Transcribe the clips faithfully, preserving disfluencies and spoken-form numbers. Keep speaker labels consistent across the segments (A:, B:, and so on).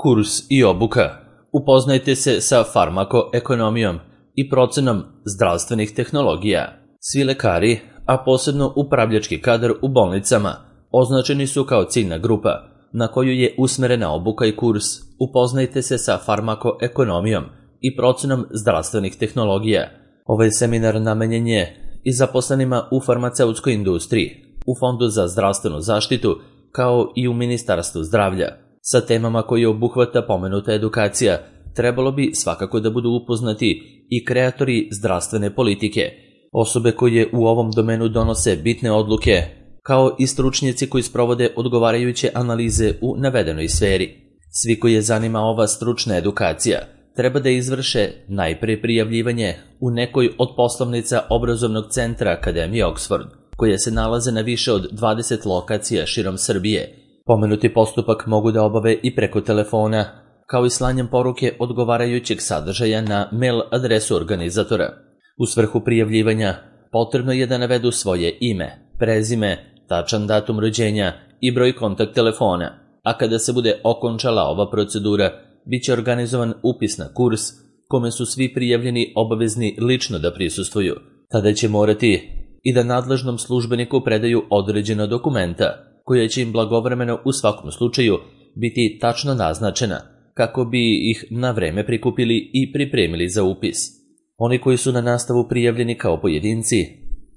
A: Kurs i obuka. Upoznajte se sa farmakoekonomijom i procenom zdravstvenih tehnologija. Svi lekari, a posebno upravljački kadar u bolnicama, označeni su kao ciljna grupa na koju je usmerena obuka i kurs. Upoznajte se sa farmakoekonomijom i procenom zdravstvenih tehnologija. Ovaj seminar namenjen je i zaposlenima u farmaceutskoj industriji, u Fondu za zdravstvenu zaštitu, kao i u Ministarstvu zdravlja. Sa temama koje obuhvata pomenuta edukacija trebalo bi svakako da budu upoznati i kreatori zdravstvene politike, osobe koje u ovom domenu donose bitne odluke, kao i stručnjaci koji sprovode odgovarajuće analize u navedenoj sferi. Svi koje zanima ova stručna edukacija treba da izvrše najpre prijavljivanje u nekoj od poslovnica obrazovnog centra Akademije Oxford, koje se nalaze na više od dvadeset lokacija širom Srbije. Pomenuti postupak mogu da obave i preko telefona, kao i slanjem poruke odgovarajućeg sadržaja na mail adresu organizatora. U svrhu prijavljivanja potrebno je da navedu svoje ime, prezime, tačan datum rođenja i broj kontakt telefona, a kada se bude okončala ova procedura, bit će organizovan upis na kurs, kome su svi prijavljeni obavezni lično da prisustvuju. Tada će morati i da nadležnom službeniku predaju određena dokumenta, koja će im blagovremeno u svakom slučaju biti tačno naznačena, kako bi ih na vreme prikupili i pripremili za upis. Oni koji su na nastavu prijavljeni kao pojedinci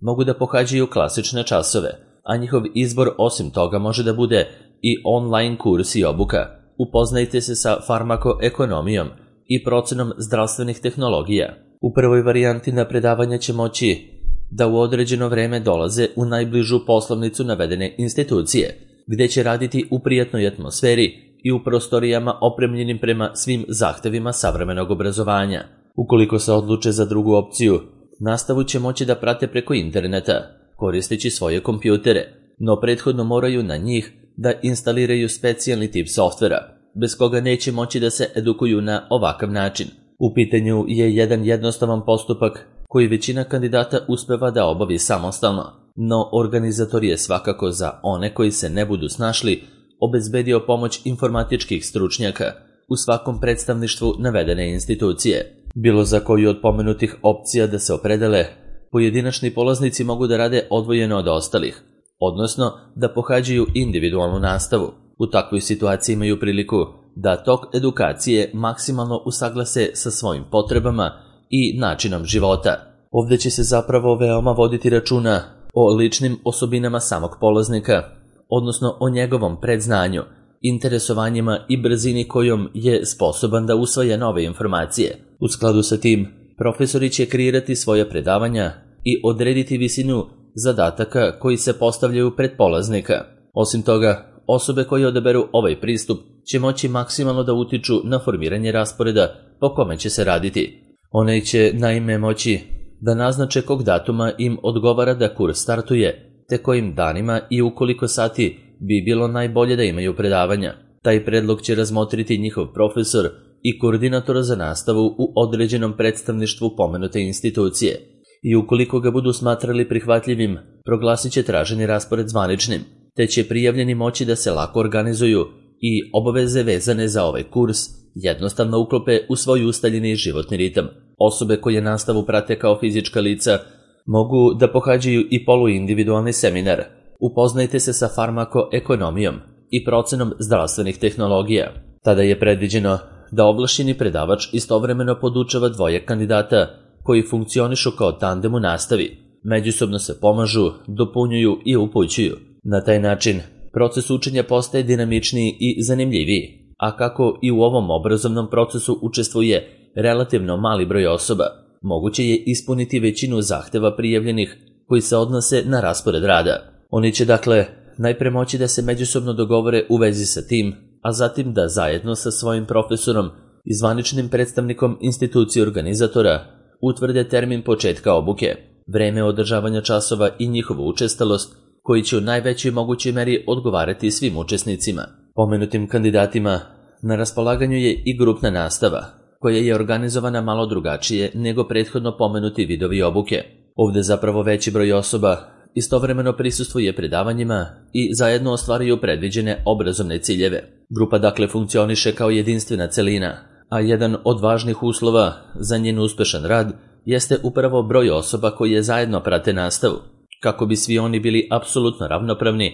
A: mogu da pohađaju klasične časove, a njihov izbor osim toga može da bude i online kurs i obuka. Upoznajte se sa farmakoekonomijom i procenom zdravstvenih tehnologija. U prvoj varijanti na predavanja će moći da u određeno vreme dolaze u najbližu poslovnicu navedene institucije, gde će raditi u prijatnoj atmosferi i u prostorijama opremljenim prema svim zahtevima savremenog obrazovanja. Ukoliko se odluče za drugu opciju, nastavu će moći da prate preko interneta, koristeći svoje kompjutere, no prethodno moraju na njih da instaliraju specijalni tip softvera, bez koga neće moći da se edukuju na ovakav način. U pitanju je jedan jednostavan postupak koji većina kandidata uspeva da obavi samostalno, no organizator je svakako za one koji se ne budu snašli obezbedio pomoć informatičkih stručnjaka u svakom predstavništvu navedene institucije. Bilo za koju od pomenutih opcija da se opredele, pojedinačni polaznici mogu da rade odvojeno od ostalih, odnosno da pohađaju individualnu nastavu. U takvoj situaciji imaju priliku da tok edukacije maksimalno usaglase sa svojim potrebama i načinom života. Ovdje će se zapravo veoma voditi računa o ličnim osobinama samog polaznika, odnosno o njegovom predznanju, interesovanjima i brzini kojom je sposoban da usvaja nove informacije. U skladu sa tim, profesori će kreirati svoja predavanja i odrediti visinu zadataka koji se postavljaju pred polaznika. Osim toga, osobe koje odaberu ovaj pristup će moći maksimalno da utiču na formiranje rasporeda po kome će se raditi. One će naime moći da naznače kog datuma im odgovara da kurs startuje, te kojim danima i u koliko sati bi bilo najbolje da imaju predavanja. Taj predlog će razmotriti njihov profesor i koordinator za nastavu u određenom predstavništvu pomenute institucije. I ukoliko ga budu smatrali prihvatljivim, proglasit će traženi raspored zvaničnim, te će prijavljeni moći da se lako organizuju i obaveze vezane za ovaj kurs jednostavno uklope u svoj ustaljeni životni ritam. Osobe koje nastavu prate kao fizička lica mogu da pohađaju i poluindividualni seminar. Upoznajte se sa farmakoekonomijom i procenom zdravstvenih tehnologija. Tada je predviđeno da ovlašćeni predavač istovremeno podučava dvoje kandidata koji funkcionišu kao tandem u nastavi. Međusobno se pomažu, dopunjuju i upućuju. Na taj način, proces učenja postaje dinamičniji i zanimljiviji, a kako i u ovom obrazovnom procesu učestvuje relativno mali broj osoba, moguće je ispuniti većinu zahteva prijavljenih koji se odnose na raspored rada. Oni će dakle najpre moći da se međusobno dogovore u vezi sa tim, a zatim da zajedno sa svojim profesorom i zvaničnim predstavnikom institucije organizatora utvrde termin početka obuke, vreme održavanja časova i njihovu učestalost, koji će u najvećoj mogućoj meri odgovarati svim učesnicima. Pomenutim kandidatima na raspolaganju je i grupna nastava, koja je organizovana malo drugačije nego prethodno pomenuti vidovi obuke. Ovdje zapravo veći broj osoba istovremeno prisustvuje predavanjima i zajedno ostvaruju predviđene obrazovne ciljeve. Grupa dakle funkcioniše kao jedinstvena celina, a jedan od važnih uslova za njen uspešan rad jeste upravo broj osoba koje zajedno prate nastavu. Kako bi svi oni bili apsolutno ravnopravni,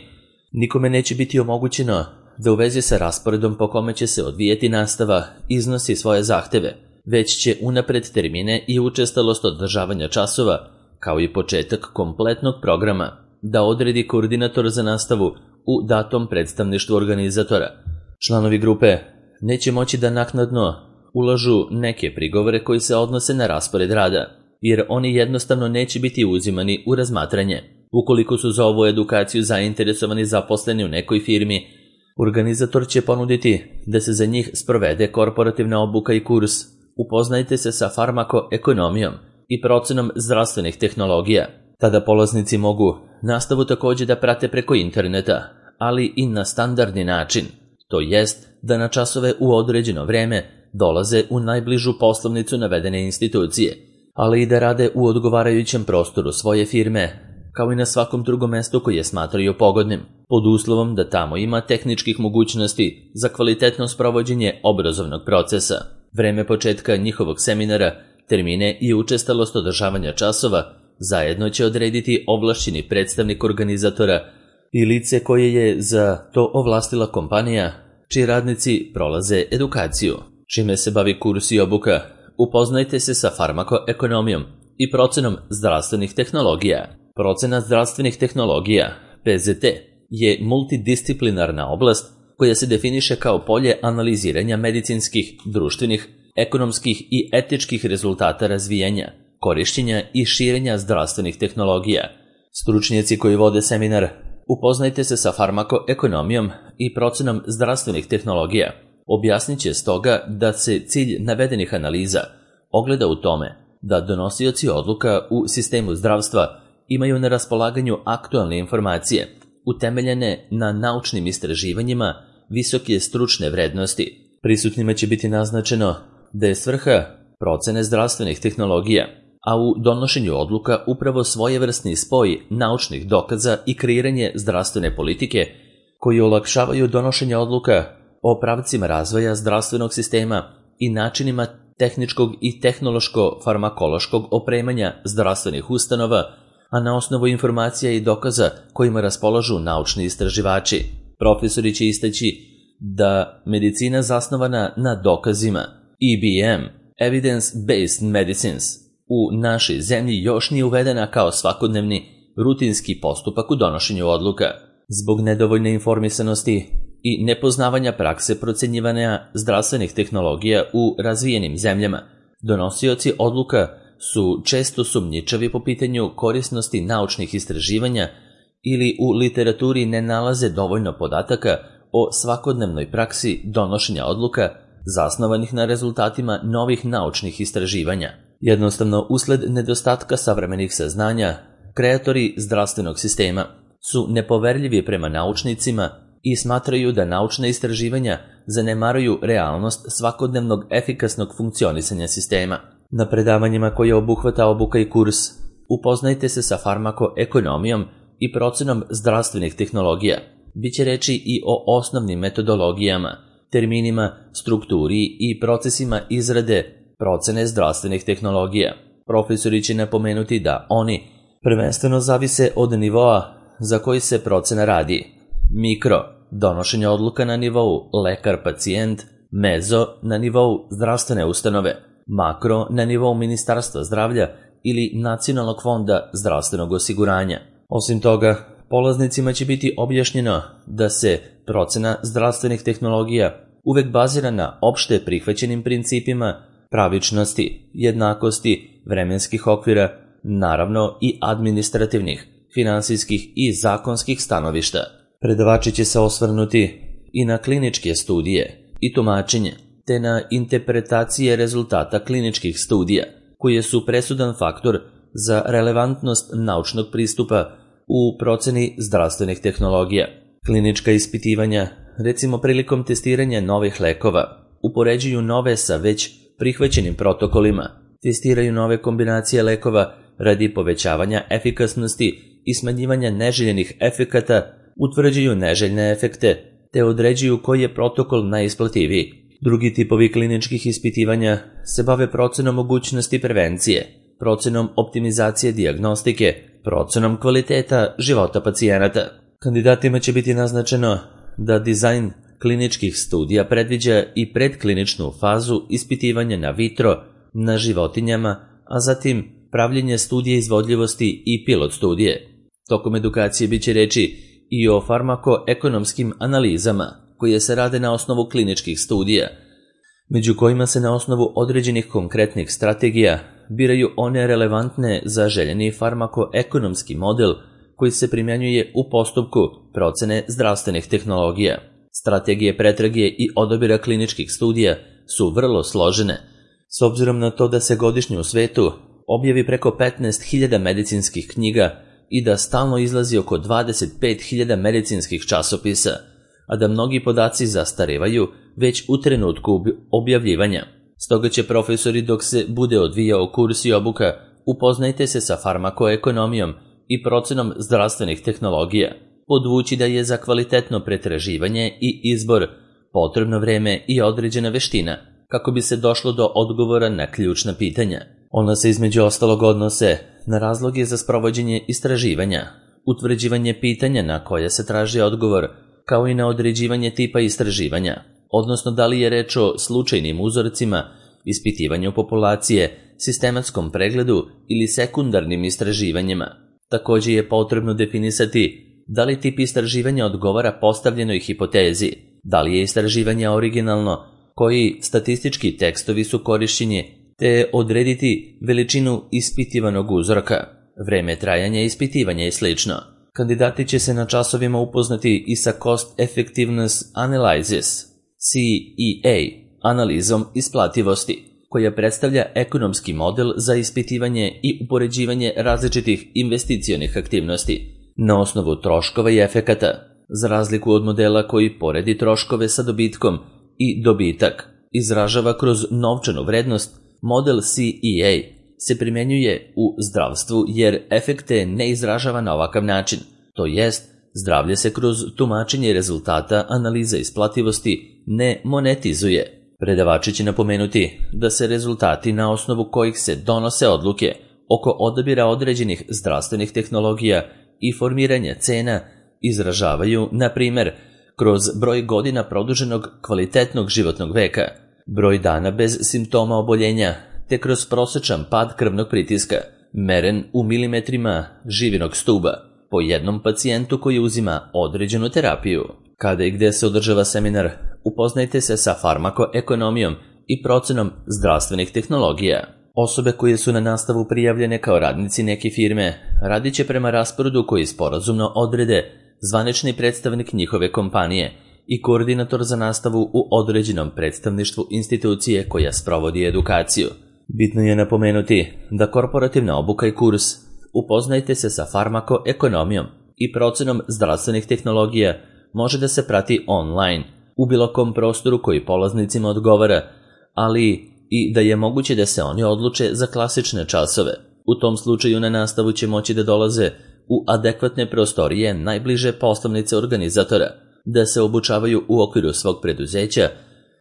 A: nikome neće biti omogućeno da u vezi sa rasporedom po kome će se odvijeti nastava iznosi svoje zahteve, već će unapred termine i učestalost održavanja časova, kao i početak kompletnog programa, da odredi koordinator za nastavu u datom predstavništvu organizatora. Članovi grupe neće moći da naknadno ulažu neke prigovore koji se odnose na raspored rada, jer oni jednostavno neće biti uzimani u razmatranje. Ukoliko su za ovu edukaciju zainteresovani zaposleni u nekoj firmi, organizator će ponuditi da se za njih sprovede korporativna obuka i kurs. Upoznajte se sa farmakoekonomijom i procenom zdravstvenih tehnologija. Tada polaznici mogu nastavu također da prate preko interneta, ali i na standardni način, to jest da na časove u određeno vreme dolaze u najbližu poslovnicu navedene institucije, ali i da rade u odgovarajućem prostoru svoje firme, kao i na svakom drugom mestu koje smatraju pogodnim, pod uslovom da tamo ima tehničkih mogućnosti za kvalitetno sprovođenje obrazovnog procesa. Vreme početka njihovog seminara, termine i učestalost održavanja časova zajedno će odrediti ovlašćeni predstavnik organizatora i lice koje je za to ovlastila kompanija, čiji radnici prolaze edukaciju. Čime se bavi kurs i obuka? Upoznajte se sa farmakoekonomijom i procenom zdravstvenih tehnologija. Procena zdravstvenih tehnologija, P Z T, je multidisciplinarna oblast koja se definiše kao polje analiziranja medicinskih, društvenih, ekonomskih i etičkih rezultata razvijanja, korišćenja i širenja zdravstvenih tehnologija. Stručnjaci koji vode seminar, upoznajte se sa farmakoekonomijom i procenom zdravstvenih tehnologija. Objasnit će stoga da se cilj navedenih analiza ogleda u tome da donosioci odluka u sistemu zdravstva imaju na raspolaganju aktualne informacije, utemeljene na naučnim istraživanjima visoke stručne vrednosti. Prisutnima će biti naznačeno da je svrha procene zdravstvenih tehnologija, a u donošenju odluka upravo svojevrsni spoj naučnih dokaza i kreiranje zdravstvene politike koji olakšavaju donošenje odluka o pravcima razvoja zdravstvenog sistema i načinima tehničkog i tehnološko-farmakološkog opremanja zdravstvenih ustanova, a na osnovu informacija i dokaza kojima raspolažu naučni istraživači. Profesori će istaći da medicina zasnovana na dokazima, E B M, Evidence-Based Medicines, u našoj zemlji još nije uvedena kao svakodnevni rutinski postupak u donošenju odluka. Zbog nedovoljne informisanosti i nepoznavanja prakse procenjivanja zdravstvenih tehnologija u razvijenim zemljama, donosioci odluka su često sumnjičavi po pitanju korisnosti naučnih istraživanja ili u literaturi ne nalaze dovoljno podataka o svakodnevnoj praksi donošenja odluka zasnovanih na rezultatima novih naučnih istraživanja. Jednostavno, usled nedostatka savremenih saznanja, kreatori zdravstvenog sistema su nepoverljivi prema naučnicima i smatraju da naučna istraživanja zanemaruju realnost svakodnevnog efikasnog funkcionisanja sistema. Na predavanjima koje obuhvata obuka i kurs, upoznajte se sa farmakoekonomijom i procenom zdravstvenih tehnologija. Biće reči i o osnovnim metodologijama, terminima, strukturi i procesima izrade procene zdravstvenih tehnologija. Profesori će napomenuti da oni prvenstveno zavise od nivoa za koji se procena radi. Mikro, donošenje odluka na nivou lekar-pacijent, mezo na nivou zdravstvene ustanove, makro na nivou Ministarstva zdravlja ili Nacionalnog fonda zdravstvenog osiguranja. Osim toga, polaznicima će biti objašnjeno da se procena zdravstvenih tehnologija uvek bazira na opšte prihvaćenim principima pravičnosti, jednakosti, vremenskih okvira, naravno i administrativnih, finansijskih i zakonskih stanovišta. Predavači će se osvrnuti i na kliničke studije i tumačenje, te na interpretacije rezultata kliničkih studija, koje su presudan faktor za relevantnost naučnog pristupa u proceni zdravstvenih tehnologija. Klinička ispitivanja, recimo prilikom testiranja novih lekova, upoređuju nove sa već prihvaćenim protokolima, testiraju nove kombinacije lekova radi povećavanja efikasnosti i smanjivanja neželjenih efekata utvrđuju neželjne efekte te određuju koji je protokol najisplativiji. Drugi tipovi kliničkih ispitivanja se bave procenom mogućnosti prevencije, procenom optimizacije dijagnostike, procenom kvaliteta života pacijenata. Kandidatima će biti naznačeno da dizajn kliničkih studija predviđa i predkliničnu fazu ispitivanja na vitro, na životinjama, a zatim pravljenje studije izvodljivosti i pilot studije. Tokom edukacije biće reči i o farmakoekonomskim analizama koje se rade na osnovu kliničkih studija, među kojima se na osnovu određenih konkretnih strategija biraju one relevantne za željeni farmakoekonomski model koji se primjenjuje u postupku procene zdravstvenih tehnologija. Strategije pretrage i odabira kliničkih studija su vrlo složene, s obzirom na to da se godišnje u svetu objavi preko petnaest hiljada medicinskih knjiga i da stalno izlazi oko dvadeset pet hiljada medicinskih časopisa, a da mnogi podaci zastarevaju već u trenutku objavljivanja. Stoga će profesori, dok se bude odvijao kurs i obuka, upoznajte se sa farmakoekonomijom i procenom zdravstvenih tehnologija, podvući da je za kvalitetno pretraživanje i izbor potrebno vreme i određena veština, kako bi se došlo do odgovora na ključna pitanja. Ona se između ostalog odnose na razloge za sprovođenje istraživanja, utvrđivanje pitanja na koje se traži odgovor, kao i na određivanje tipa istraživanja, odnosno da li je reč o slučajnim uzorcima, ispitivanju populacije, sistematskom pregledu ili sekundarnim istraživanjima. Također je potrebno definisati da li tip istraživanja odgovara postavljenoj hipotezi, da li je istraživanje originalno, koji statistički tekstovi su korišćeni, te odrediti veličinu ispitivanog uzorka, vreme trajanja ispitivanja i sl. Kandidati će se na časovima upoznati i sa Cost Effectiveness Analysis, C E A, analizom isplativosti, koja predstavlja ekonomski model za ispitivanje i upoređivanje različitih investicionih aktivnosti na osnovu troškova i efekata, za razliku od modela koji poredi troškove sa dobitkom i dobitak izražava kroz novčanu vrednost. Model C E A se primjenjuje u zdravstvu jer efekte ne izražava na ovakav način, to jest zdravlje se kroz tumačenje rezultata analize isplativosti ne monetizuje. Predavači će napomenuti da se rezultati na osnovu kojih se donose odluke oko odabira određenih zdravstvenih tehnologija i formiranja cena izražavaju, na primjer, kroz broj godina produženog kvalitetnog životnog veka, broj dana bez simptoma oboljenja, te kroz prosječan pad krvnog pritiska, meren u milimetrima živinog stuba, po jednom pacijentu koji uzima određenu terapiju. Kada i gde se održava seminar, upoznajte se sa farmakoekonomijom i procenom zdravstvenih tehnologija. Osobe koje su na nastavu prijavljene kao radnici neke firme radit će prema rasporedu koji sporazumno odrede zvanični predstavnik njihove kompanije i koordinator za nastavu u određenom predstavništvu institucije koja sprovodi edukaciju. Bitno je napomenuti da korporativna obuka i kurs upoznajte se sa farmakoekonomijom i procenom zdravstvenih tehnologija može da se prati online u bilo kom prostoru koji polaznicima odgovara, ali i da je moguće da se oni odluče za klasične časove. U tom slučaju na nastavu će moći da dolaze u adekvatne prostorije najbliže poslovnice organizatora, da se obučavaju u okviru svog preduzeća,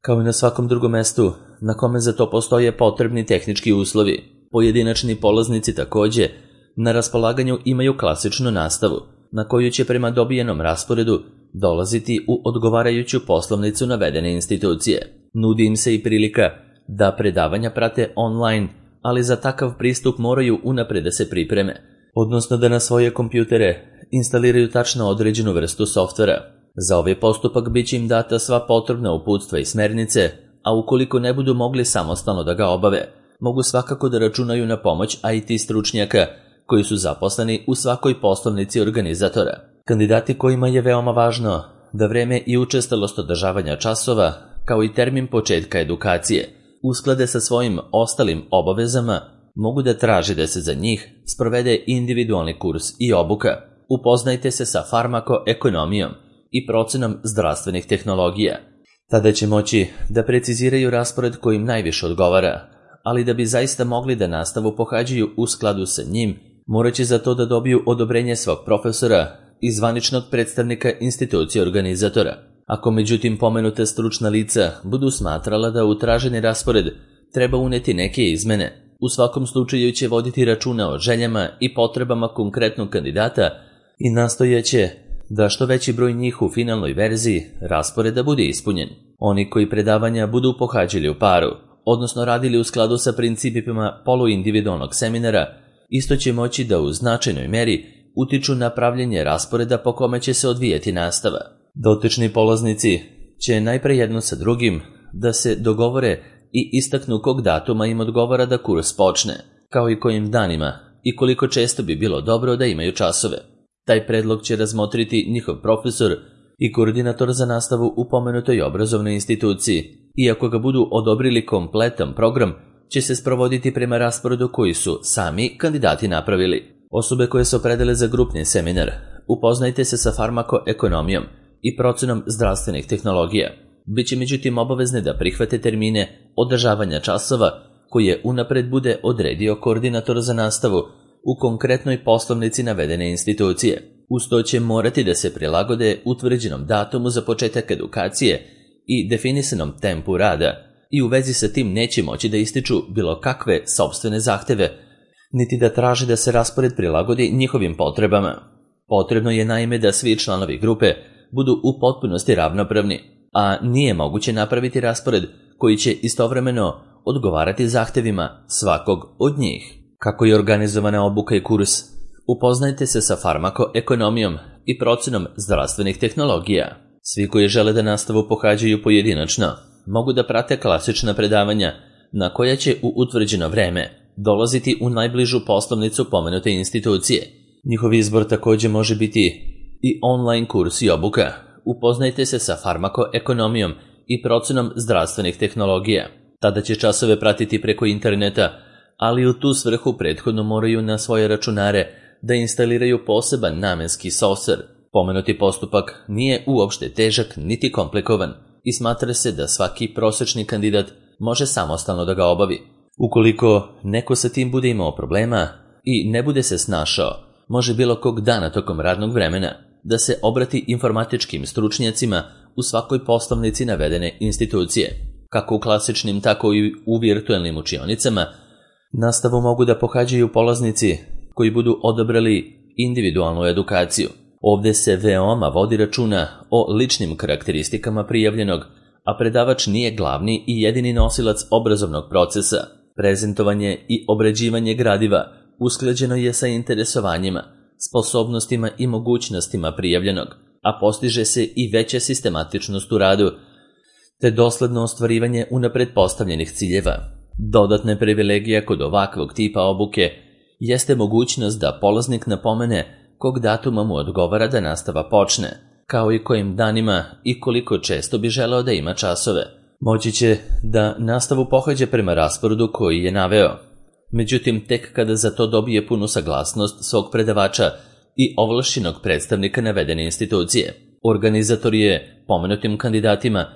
A: kao i na svakom drugom mestu na kome za to postoje potrebni tehnički uslovi. Pojedinačni polaznici također na raspolaganju imaju klasičnu nastavu, na koju će prema dobijenom rasporedu dolaziti u odgovarajuću poslovnicu navedene institucije. Nudi im se i prilika da predavanja prate online, ali za takav pristup moraju unapred da se pripreme, odnosno da na svoje kompjutere instaliraju tačno određenu vrstu softvera. Za ovaj postupak bit će im data sva potrebna uputstva i smernice, a ukoliko ne budu mogli samostalno da ga obave, mogu svakako da računaju na pomoć I T stručnjaka koji su zaposleni u svakoj poslovnici organizatora. Kandidati kojima je veoma važno da vreme i učestalost održavanja časova, kao i termin početka edukacije, usklade sa svojim ostalim obavezama, mogu da traže da se za njih sprovede individualni kurs i obuka. Upoznajte se sa farmakoekonomijom i procenom zdravstvenih tehnologija. Tada će moći da preciziraju raspored koji im najviše odgovara, ali da bi zaista mogli da nastavu pohađaju u skladu sa njim, morat će za to da dobiju odobrenje svog profesora i zvaničnog predstavnika institucije organizatora. Ako međutim pomenute stručna lica budu smatrala da u traženi raspored treba uneti neke izmene, u svakom slučaju će voditi računa o željama i potrebama konkretnog kandidata i nastojaće da što veći broj njih u finalnoj verziji rasporeda bude ispunjen. Oni koji predavanja budu pohađali u paru, odnosno radili u skladu sa principima poluindividualnog seminara, isto će moći da u značajnoj meri utiču na pravljenje rasporeda po kome će se odvijati nastava. Dotični polaznici će najpre jedno sa drugim da se dogovore i istaknu kog datuma im odgovara da kurs počne, kao i kojim danima i koliko često bi bilo dobro da imaju časove. Taj predlog će razmotriti njihov profesor i koordinator za nastavu u pomenutoj obrazovnoj instituciji, i ako ga budu odobrili kompletan program, će se sprovoditi prema rasporedu koji su sami kandidati napravili. Osobe koje se opredele za grupni seminar, upoznajte se sa farmakoekonomijom i procenom zdravstvenih tehnologija. Biće međutim obavezne da prihvate termine održavanja časova koje unapred bude odredio koordinator za nastavu u konkretnoj poslovnici navedene institucije. Uz to će morati da se prilagode utvrđenom datumu za početak edukacije i definisanom tempu rada i u vezi sa tim neće moći da ističu bilo kakve sopstvene zahteve, niti da traže da se raspored prilagodi njihovim potrebama. Potrebno je naime da svi članovi grupe budu u potpunosti ravnopravni, a nije moguće napraviti raspored koji će istovremeno odgovarati zahtevima svakog od njih. Kako je organizovana obuka i kurs? Upoznajte se sa farmakoekonomijom i procenom zdravstvenih tehnologija. Svi koji žele da nastavu pohađaju pojedinačno mogu da prate klasična predavanja na koja će u utvrđeno vreme dolaziti u najbližu poslovnicu pomenute institucije. Njihov izbor također može biti i online kurs i obuka. Upoznajte se sa farmakoekonomijom i procenom zdravstvenih tehnologija. Tada će časove pratiti preko interneta, ali u tu svrhu prethodno moraju na svoje računare da instaliraju poseban namenski softver. Pomenuti postupak nije uopšte težak niti komplikovan i smatra se da svaki prosečni kandidat može samostalno da ga obavi. Ukoliko neko sa tim bude imao problema i ne bude se snašao, može bilo kog dana tokom radnog vremena da se obrati informatičkim stručnjacima u svakoj poslovnici navedene institucije. Kako u klasičnim, tako i u virtualnim učionicama, nastavu mogu da pohađaju polaznici koji budu odabrali individualnu edukaciju. Ovde se veoma vodi računa o ličnim karakteristikama prijavljenog, a predavač nije glavni i jedini nosilac obrazovnog procesa. Prezentovanje i obrađivanje gradiva usklađeno je sa interesovanjima, sposobnostima i mogućnostima prijavljenog, a postiže se i veća sistematičnost u radu, te dosledno ostvarivanje unapred postavljenih ciljeva. Dodatne privilegija kod ovakvog tipa obuke jeste mogućnost da polaznik napomene kog datuma mu odgovara da nastava počne, kao i kojim danima i koliko često bi želeo da ima časove. Moći će da nastavu pohađa prema rasporedu koji je naveo. Međutim, tek kada za to dobije punu saglasnost svog predavača i ovlašćenog predstavnika navedene institucije. Organizator je pomenutim kandidatima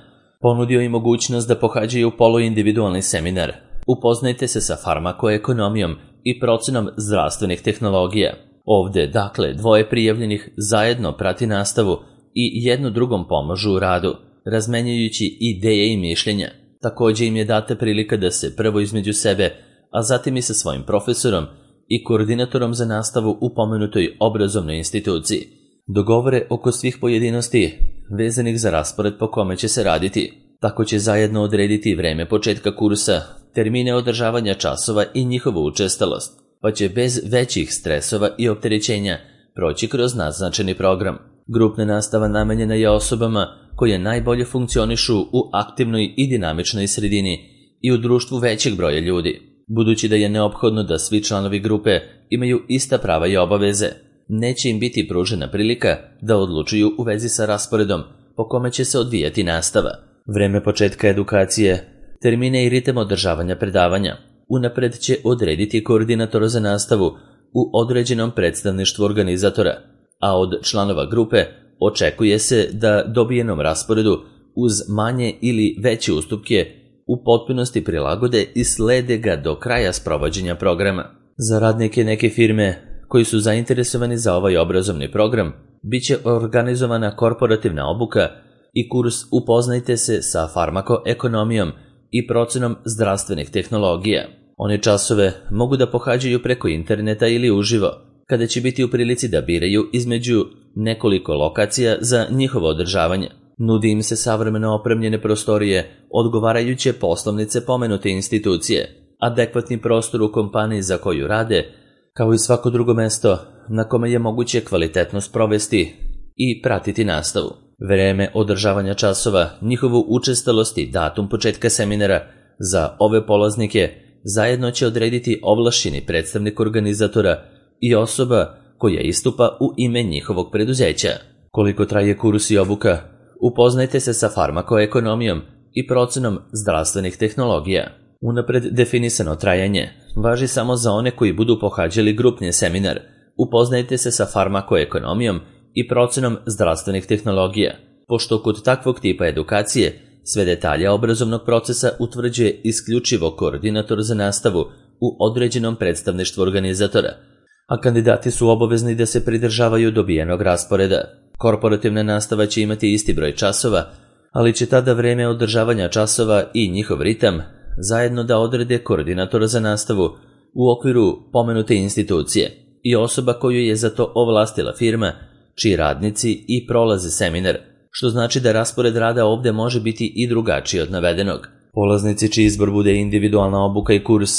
A: ponudio i mogućnost da pohađaju poluindividualni seminar. Upoznajte se sa farmakoekonomijom i procenom zdravstvenih tehnologija. Ovde, dakle, dvoje prijavljenih zajedno prati nastavu i jedno drugom pomažu u radu, razmenjujući ideje i mišljenja. Također im je data prilika da se prvo između sebe, a zatim i sa svojim profesorom i koordinatorom za nastavu u pomenutoj obrazovnoj instituciji dogovore oko svih pojedinosti vezanih za raspored po kome će se raditi. Tako će zajedno odrediti vreme početka kursa, termine održavanja časova i njihovu učestalost, pa će bez većih stresova i opterećenja proći kroz naznačeni program. Grupna nastava namenjena je osobama koje najbolje funkcionišu u aktivnoj i dinamičnoj sredini i u društvu većeg broja ljudi. Budući da je neophodno da svi članovi grupe imaju ista prava i obaveze, neće im biti pružena prilika da odlučuju u vezi sa rasporedom po kome će se odvijati nastava. Vreme početka edukacije, termine i ritam održavanja predavanja unapred će odrediti koordinator za nastavu u određenom predstavništvu organizatora, a od članova grupe očekuje se da dobijenom rasporedu uz manje ili veće ustupke u potpunosti prilagode i slede ga do kraja sprovođenja programa. Za radnike neke firme koji su zainteresovani za ovaj obrazovni program, bit će organizovana korporativna obuka i kurs Upoznajte se sa farmakoekonomijom i procenom zdravstvenih tehnologija. One časove mogu da pohađaju preko interneta ili uživo, kada će biti u prilici da biraju između nekoliko lokacija za njihovo održavanje. Nudi im se savremeno opremljene prostorije, odgovarajuće poslovnice pomenute institucije, adekvatni prostor u kompaniji za koju rade, kao i svako drugo mesto na kome je moguće kvalitetno sprovesti i pratiti nastavu. Vreme održavanja časova, njihovu učestalost i datum početka seminara za ove polaznike zajedno će odrediti ovlašćeni predstavnik organizatora i osoba koja istupa u ime njihovog preduzeća. Koliko traje kurs i obuka? Upoznajte se sa farmakoekonomijom i procenom zdravstvenih tehnologija. Unapred definisano trajanje važi samo za one koji budu pohađali grupni seminar. Upoznajte se sa farmakoekonomijom i procenom zdravstvenih tehnologija, pošto kod takvog tipa edukacije sve detalje obrazovnog procesa utvrđuje isključivo koordinator za nastavu u određenom predstavništvu organizatora, a kandidati su obavezni da se pridržavaju dobijenog rasporeda. Korporativna nastava će imati isti broj časova, ali će tada vreme održavanja časova i njihov ritam zajedno da odrede koordinatora za nastavu u okviru pomenute institucije i osoba koju je za to ovlastila firma, čiji radnici i prolaze seminar, što znači da raspored rada ovde može biti i drugačiji od navedenog. Polaznici čiji izbor bude individualna obuka i kurs,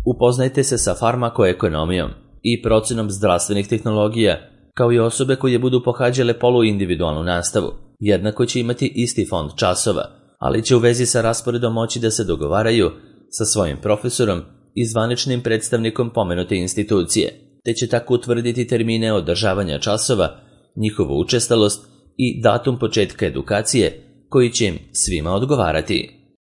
A: upoznajte se sa farmakoekonomijom i procenom zdravstvenih tehnologija, kao i osobe koje budu pohađale poluindividualnu nastavu. Jednako će imati isti fond časova, ali će u vezi sa rasporedom moći da se dogovaraju sa svojim profesorom i zvaničnim predstavnikom pomenute institucije, te će tako utvrditi termine održavanja časova, njihovu učestalost i datum početka edukacije koji će im svima odgovarati.